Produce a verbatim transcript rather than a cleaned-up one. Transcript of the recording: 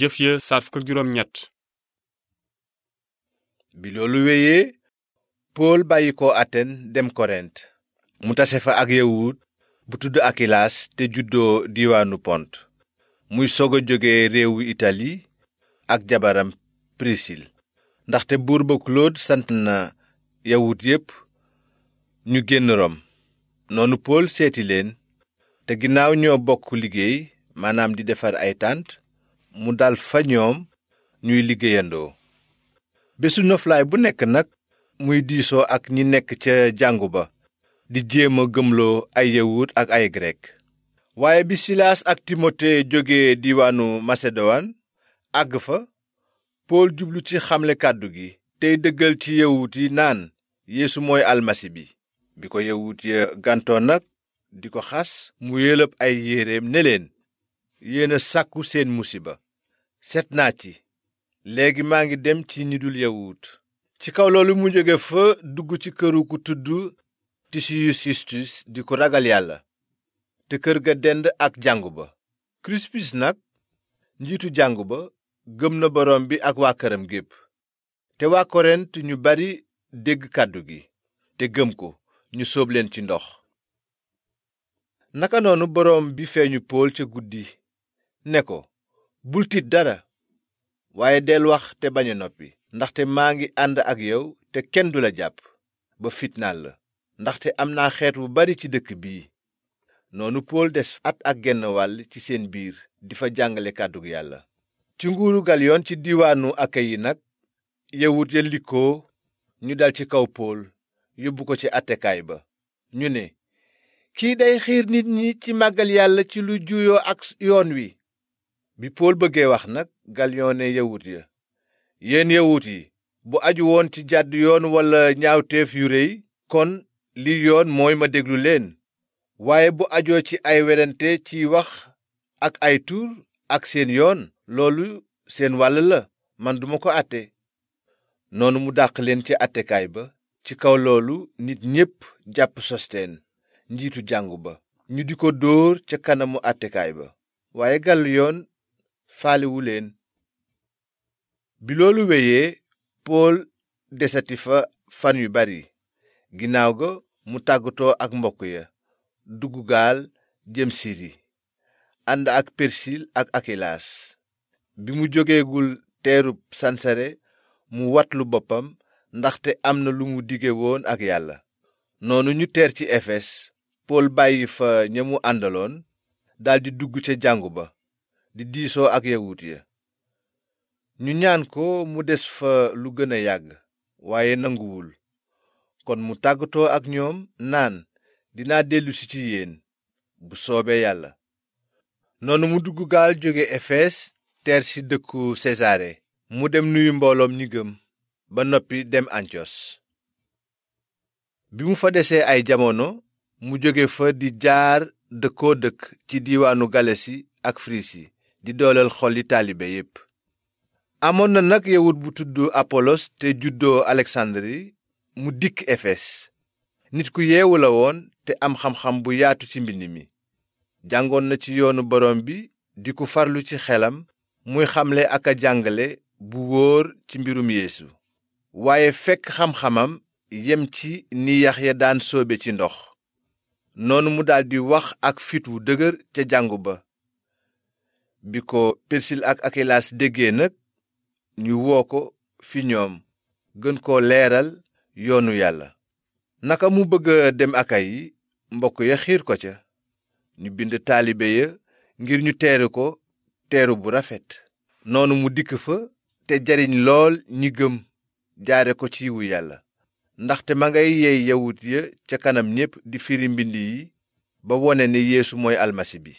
jëf ya saar fukk ak juróom ñett. bi loolu wéyee pool bàyyi ko aten dem korent mu tase fa ak yawut bu tudd akilaas te juddoo diiwaanu pont muy sog a jóge réewu itali ak jabaram prisil ndaxte buur ba Claude sant na yawut yépp ñu génn rom noonu pool seeti leen te ginnaaw ñoo bokk liggéey maanaam di defar ay tànt mu dal fa ñoom ñuy liggéeyandoo bésu noflaay bu nekk nag muy diisoo ak ñi nekk ca jàngu ba di jéem a gëmloo ay yawut ak ay grek waaye bi silaas ak timote jóge diiwaanu maseduwaan àgg fa pool jublu ci xamle kàddu gi tey dëggal ci yawut yi naan yeesu mooy almasi bi bi ko yawut ya gàntoo nag di ko xas mu yëlëb ay yéreem ne leen yéena sàkku seen musiba set naa ci léegi maa ngi dem ci ñi dul yawut ci kaw loolu mu jóge fa dugg ci këru ku tudd tisiyus yustus di ko ragal yàlla te kër ga dend ak jàngu ba krispus nag njiitu jàngu ba gëm na boroom bi ak waa këram gépp te waa korent ñu bari dégg kàddu gi te gëm ko ñu sóob leen ci ndox naka noonu boroom bi feeñu pool ca guddi ne ko bul tiit dara waaye del wax te bañ a noppi ndaxte maa ngi ànd ak yow te kenn du la jàpp ba fitnaal la ndaxte am naa xeet wu bari ci dëkk bii noonu pool des at ak genn wàll ci seen biir di fa jàngale kàddug yàlla ci nguuru galyoon ci diiwaanu akayi nag yawut ya likkoo ñu dal ci kaw pool yóbbu ko ci attekaay ba ñu ne kii day xiir nit ñi ci màggal yàlla ci lu juyoo ak yoon wi bi pool bëggee wax nag galyoon ne yawut ya yéen yawut yi bu aju woon ci jàdd yoon walla ñaawteef yu rëy kon li yoon mooy ma déglu leen waaye bu ajoo ci ay werante ciy wax ak ay tur ak seen yoon loolu seen wàll la man duma ko àtte noonu mu dàq leen ci àttekaay ba ci kaw loolu nit ñépp jàpp sosteen njiitu jàngu ba ñu di ko dóor ca kanamu àttekaay ba waaye galyoon faalewu leen bi loolu wéyee pool desati fa fan yu bari ginnaaw ga mu tàggatoo ak mbokk ya dugg gaal jëm siri ànd ak persil ak akilaas bi mu jógeegul teerub sansare mu watlu boppam ndaxte am na lu mu dige woon ak yàlla noonu ñu teer ci efes pool bàyyi fa ña mu àndaloon daldi dugg ca jàngu ba di diisoo ak yawut ya ñu ñaan ko mu des fa lu gën a yàgg waaye nanguwul kon mu tàggatoo ak ñoom naan dinaa dellusi ci yéen bu soobee yàlla noonu mu dugg gaal jóge efes teer ci dëkku sesaare mu dem nuyu mbooloom ñi gëm ba noppi dem antiyos bi mu fa desee ay jamono mu jóge fa di jaar dëkkoo dëkk ci diiwaanu galasi ak firisi di dooleel xoli taalibe yépp amoon na nag yawut bu tudd apolos te juddoo aleksandri mu dikk efes nit ku yeewu la woon te am xam-xam bu yaatu ci mbind mi jàngoon na ci yoonu borom bi di ku farlu ci xelam muy xamle ak a jàngale bu wóor ci mbirum yeesu waaye fekk xam-xamam yem ci ni Yaxya daan soobe ci ndox noonu mu daldi wax ak fit wu dëgër ca jàngu ba bi ko persil ak akilaas déggee nag ñu woo ko fi ñoom gën koo leeral yoonu yàlla naka mu bëgg a dem akayi mbokk ya xiir ko ca ñu bind taalibe ya ngir ñu teeru ko teeru bu rafet noonu mu dikk fa te jariñ lool ñi gëm jaare ko ci yiwu yàlla ndaxte ma ngay yey yawut ya ca kanam ñépp di firi mbind yi ba wone ne yeesu mooy almasi bi